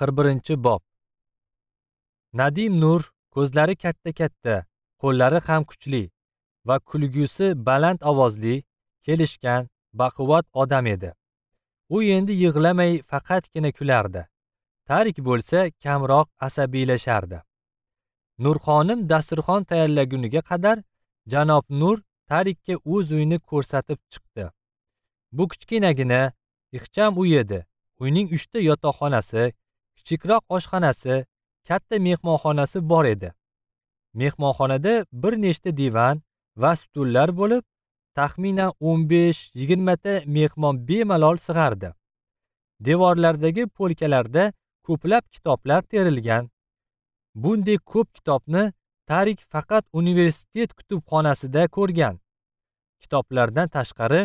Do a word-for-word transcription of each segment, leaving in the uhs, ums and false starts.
qirq birinchi bob. Nadim Nur ko'zlari katta-katta, qo'llari ham kuchli va kulgusi baland ovozli, kelishgan, baquvvat odam edi. U endi yig'lamay faqatgina kulardi. Tarik bo'lsa kamroq asabiylashardi. Nurxonim dasturxon tayyorlaguniga qadar janob Nur Tarikka o'z uyini ko'rsatib chiqdi. Bu kichkinagina, ixcham uy edi. Uyning uchta yotoqxonasi, kichikroq oshxonasi, katta mehmonxonasi bor edi. Mehmonxonada bir nechta divan va stullar bo'lib, taxminan o'n besh yigirma ta mehmon bemalol sig'ardi. Devorlardagi polkalarda ko'plab kitoblar terilgan. Bunday ko'p kitobni Tarik faqat universitet kutubxonasida ko'rgan. Kitoblardan tashqari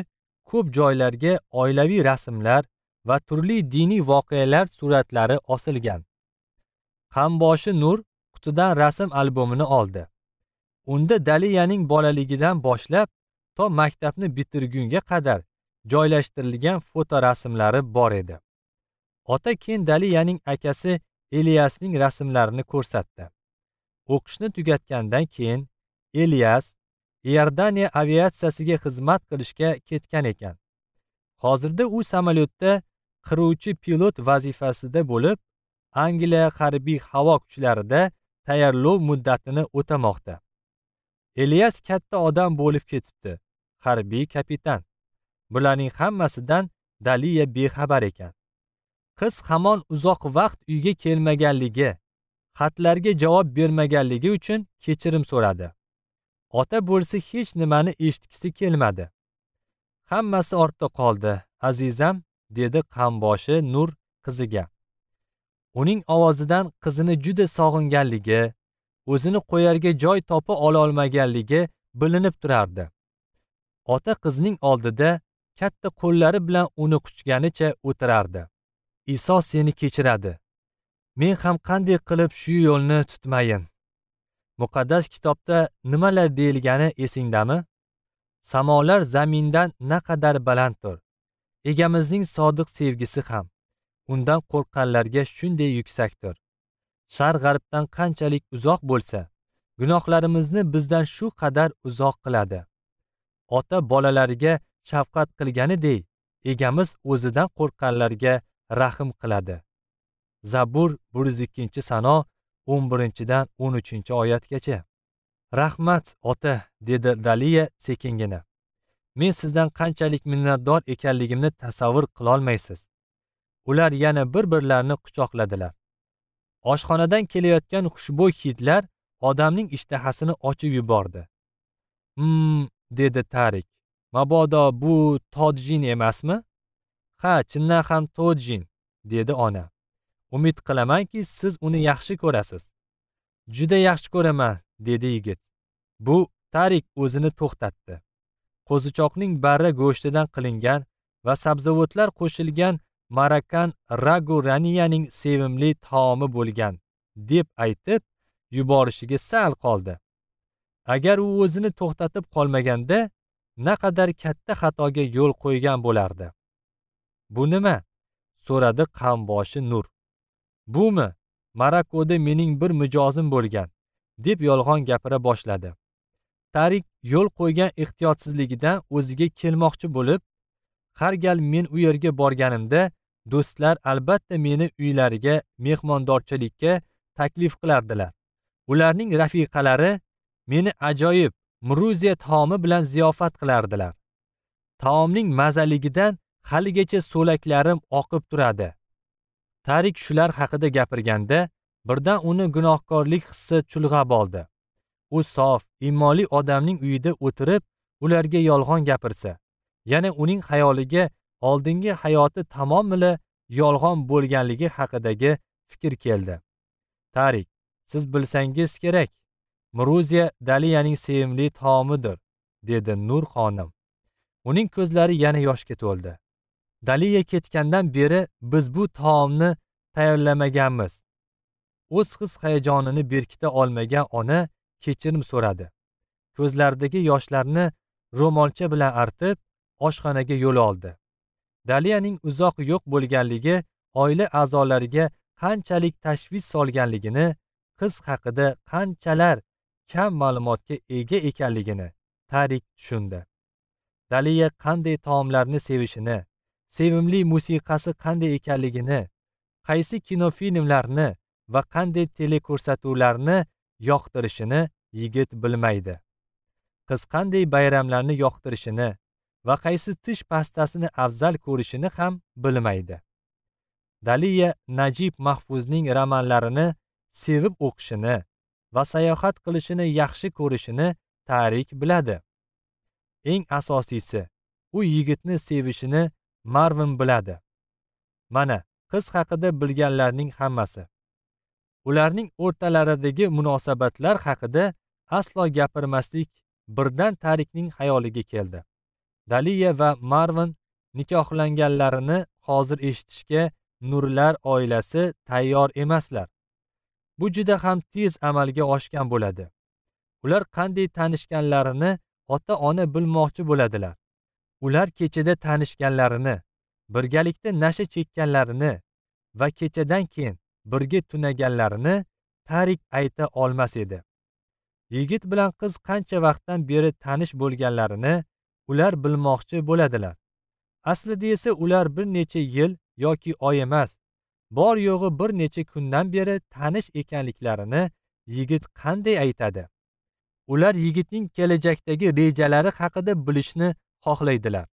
ko'p joylarga oilaviy rasmlar va turli diniy voqealar suratlari osilgan. Qamboshi Nur qutidan rasm albomini oldi. Unda Daliyaning bolaligidan boshlab to maktabni bitirgunga qadar joylashtirilgan fotorasmlari bor edi. Ota keyin Daliyaning akasi Eliasning rasmlarini ko'rsatdi. O'qishni tugatgandan keyin Elias Iordaniya aviatsiyasiga xizmat qilishga ketgan ekan. Hozirda u samolyotda qiruvchi pilot vazifasida bo'lib, Angliya harbiy havo kuchlarida tayyorlov muddatini o'tamoqda. Elias katta odam bo'lib ketibdi, harbiy kapitan. Bularning hammasidan Daliya bexabar ekan. Qiz hamon uzoq vaqt uyga kelmaganligi, xatlarga javob bermaganligi uchun kechirim so'radi. Ota bo'lsa hech nimani eshitgisi kelmadi. Hammasi ortda qoldi, azizam, dedi qamboshi Nur qiziga. Uning ovozidan qizini juda sog'inganligi, o'zini qo'yarga joy topa ololmaganligi bilinib turardi. Ota qizning oldida katta qo'llari bilan uni quchganicha o'tirardi. Iso seni kechiradi. Men ham qanday qilib shu yo'lni tutmayin? Muqaddas kitobda nimalar deyilgani esingdami? Samolar zamindan naqadar balanddir. Egamizning sodiq sevgisi ham undan qo'rqqanlarga shunday yuksakdir. Sharq g'arbdan qanchalik uzoq bo'lsa, gunohlarimizni bizdan shu qadar uzoq qiladi. Ota bolalariga shafqat qilganidek, egamiz o'zidan qo'rqqanlarga rahm qiladi. Zabur bir yuz ikkinchi sano o'n birinchidan o'n uchinchi oyatgacha. Rahmat, ota, dedi Daliya sekingina. Men sizdan qanchalik minnatdor ekanligimni tasavvur qilolmaysiz. Ular yana bir-birlarini quchoqladilar. Oshxonadan kelayotgan xushbo'y hidlar odamning ishtahasini ochib yubordi. Hmm, dedi Tarik. Mabodo bu tojin emasmi? Ha, chindan ham tojin, dedi ona. Umid qilamanki, siz uni yaxshi ko'rasiz. Juda yaxshi ko'raman, dedi yigit. Bu Tarik o'zini to'xtatdi. Qo'zichoqning barra go'shtidan qilingan va sabzavotlar qo'shilgan Marakan ragu Raniyaning sevimli taomi bo'lgan, deb aytib yuborishiga sal qoldi. Agar u o'zini to'xtatib qolmaganda, naqadar katta xatoga yo'l qo'ygan bo'lardi. Bu nima? So'radi qamboshi Nur. Bumi? Marokoda mening bir mijozim bo'lgan, deb yolg'on gapira boshladi. Tarik yo'l qo'ygan ehtiyotsizligidan o'ziga kelmoqchi bo'lib, har gal men u yerga borganimda do'stlar albatta meni uylariga mehmondorchilikka taklif qilardilar. Ularning rafiqalari meni ajoyib mruziya taomi bilan ziyofat qilardilar. Taomning mazaligidan haligacha so'laklarim oqib turadi. Tarik shular haqida gapirganda birdan uni gunohkorlik hissi chulg'ab oldi. U sof, iymonli odamning uyida o'tirib, ularga yolg'on gapirsa, yana uning xayoliga oldingi hayoti tamomila yolg'on bo'lganligi haqidagi fikr keldi. Tarik, siz bilsangiz kerak, Mruziya Daliyaning sevimli taomidir, dedi Nur xonim. Uning ko'zlari yana yoshga to'ldi. Daliya ketgandan beri biz bu taomni tayyorlamaganmiz. O'z his hayajonini berkita olmagan ona kechirim so'radi. Ko'zlaridagi yoshlarni ro'molcha bilan artib, oshxonaga yo'l oldi. Daliyaning uzoq yo'q bo'lganligi oila a'zolariga qanchalik tashvish solganligini, qiz haqida qanchalar kam ma'lumotga ega ekanligini Tarik tushundi. Daliya qanday taomlarni sevishini, sevimli musiqasi qanday ekanligini, qaysi kinofilmlarni va qanday teleko'rsatuvlarni yoqtirishini yigit bilmaydi. Qiz qanday bayramlarni yoqtirishini va qaysi tish pastasini afzal ko'rishini ham bilmaydi. Daliya Najib Mahfuzning romanlarini sevib o'qishini va sayohat qilishini yaxshi ko'rishini Tarik biladi. Eng asosiysi, u yigitni sevishini Marvin biladi. Mana qiz haqida bilganlarning hammasi. Ularning o'rtalaridagi munosabatlar haqida aslo gapirmaslik birdan Tarikning xayoliga keldi. Daliya va Marvin nikohlanganlarini hozir eshitishga Nurlar oilasi tayyor emaslar. Bu juda ham tez amalga oshgan bo'ladi. Ular qanday tanishganlarini ota-ona bilmoqchi bo'ladilar. Ular kechada tanishganlarini, birgalikda nasha chekkanlarini va kechadan keyin birga tunaganlarini Tarik ayta olmas edi. Yigit bilan qiz qancha vaqtdan beri tanish bo'lganlarini ular bilmoqchi bo'ladilar. Aslida esa ular bir necha yil yoki oy emas, bor yo'g'i bir necha kundan beri tanish ekanliklarini yigit qanday aytadi? Ular yigitning kelajakdagi rejalari haqida bilishni xohlaydilar.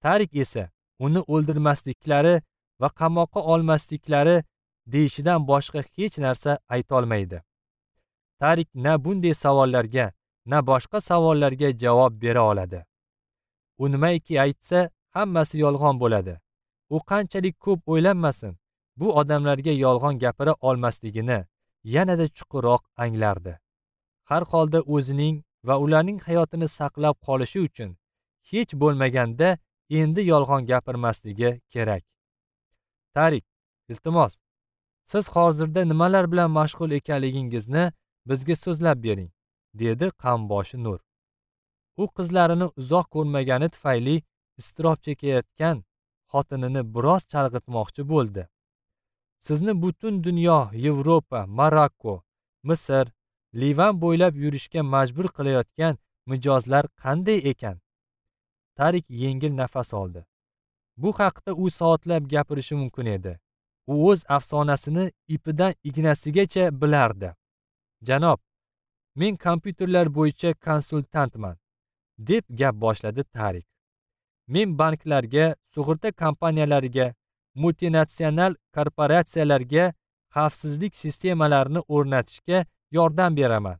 Tarik esa uni o'ldirmasliklari va qamoqqa olmasliklari deyishidan boshqa hech narsa ayta olmaydi. Tarik na bunday savollarga, na boshqa savollarga javob bera oladi. U nimaiki aytsa, hammasi yolg'on bo'ladi. U qanchalik ko'p o'ylanmasin, bu odamlarga yolg'on gapira olmasligini yanada chuqurroq anglardi. Har holda o'zining va ularning hayotini saqlab qolishi uchun hech bo'lmaganda endi yolg'on gapirmasligi kerak. Tarik, iltimos, siz hozirda nimalar bilan mashg'ul ekanligingizni bizga so'zlab bering, dedi qamboshi Nur. U qizlarini uzoq ko'rmagani tufayli iztirob chekayotgan xotinini biroz chalg'itmoqchi bo'ldi. Sizni butun dunyo, Yevropa, Marokko, Misr, Livan bo'ylab yurishga majbur qilayotgan mijozlar qanday ekan? Tarik yengil nafas oldi. Bu haqda u soatlab gapirishi mumkin edi. U o'z afsonasini ipidan ignasigacha bilardi. Janob, men kompyuterlar bo'yicha konsultantman, deb gap boshladi Tarik. Men banklarga, sug'urta kompaniyalariga, multinatsional korporatsiyalarga xavfsizlik sistemalarini o'rnatishga yordam beraman.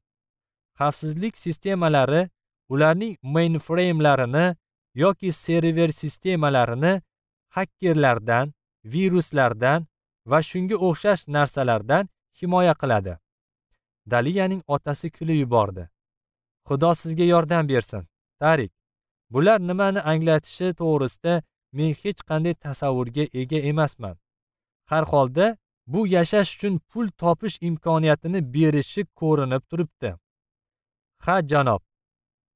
Xavfsizlik sistemalari ularning mainframe'larini yoki server sistemalarini hakkerlardan, viruslardan va shunga o'xshash narsalardan himoya qiladi. Daliyaning otasi kulib yubordi. Xudo sizga yordam bersin, Tarik. Bular nimani anglatishi to'g'risida men hech qanday tasavvurga ega emasman. Har holda bu yashash uchun pul topish imkoniyatini berishi ko'rinib turibdi. Ha, janob.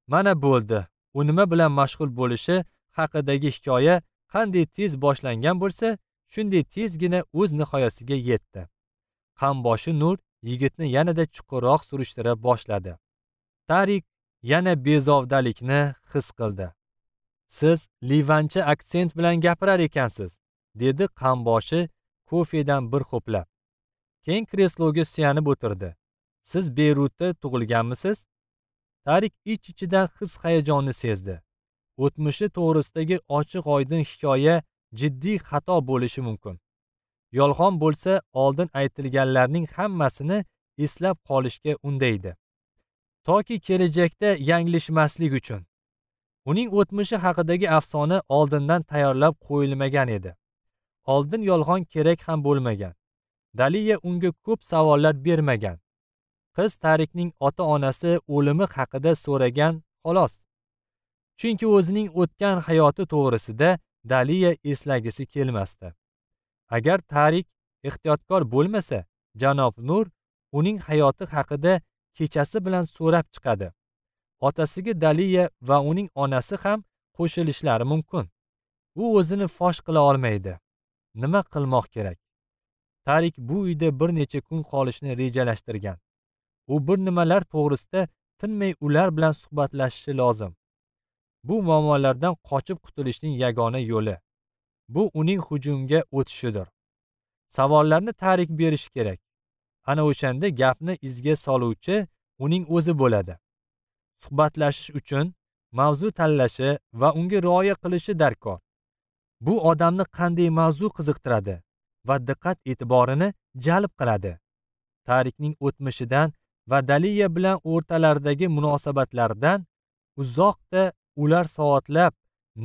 Mana bo'ldi. U nima bilan mashg'ul bo'lishi haqidagi hikoya qanday tez boshlangan bo'lsa, shunday tezgina o'z nihoyasiga yetdi. Qamboshi Nur yigitni yanada chuqurroq surishtira boshladi. Tarik yana bezovdalikni his qildi. Siz livancha aksent bilan gapirar ekansiz, dedi qamboshi kofedan bir ho'plab. Keyin kresloga suyanib o'tirdi. Siz Beyrutda tug'ilganmisiz? Tarik ich-ichidan his-hayajonni sezdi. O'tmishi to'g'risidagi ochiq-oydin hikoya jiddiy xato bo'lishi mumkin. Yolg'on bo'lsa, oldin aytilganlarning hammasini eslab qolishga undaydi. Toki kelajakda yanglishmaslik uchun. Uning o'tmishi haqidagi afsona oldindan tayyorlab qo'yilmagan edi. Oldin yolg'on kerak ham bo'lmagan. Daliya unga ko'p savollar bermagan. Qiz Tarikning ota-onasi o'limi haqida so'ragan xolos. Chunki o'zining o'tgan hayoti to'g'risida Daliya eslagisi kelmasdi. Agar Tarik ehtiyotkor bo'lmasa, janob Nur uning hayoti haqida kechasi bilan so'rab chiqadi. Otasiga Daliya va uning onasi ham qo'shilishlari mumkin. U o'zini fosh qila olmaydi. Nima qilmoq kerak? Tarik bu uyda bir necha kun qolishni rejalashtirgan. U bir nimalar to'g'risida tinmay ular bilan suhbatlashishi lozim. Bu muammolardan qochib qutulishning yagona yo'li. Bu uning hujumga o'tishidir. Savollarni Tarik berishi kerak. Ana o'shanda gapni izga soluvchi uning o'zi bo'ladi. Suhbatlashish uchun mavzu tanlashi va unga rioya qilishi darkor. Bu odamni qanday mavzu qiziqtiradi va diqqat e'tiborini jalb qiladi. Tarikning o'tmishidan va Daliya bilan o'rtalaridagi munosabatlardan uzoqda ular soatlab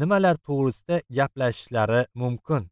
nimalar to'g'risida gaplashishlari mumkin.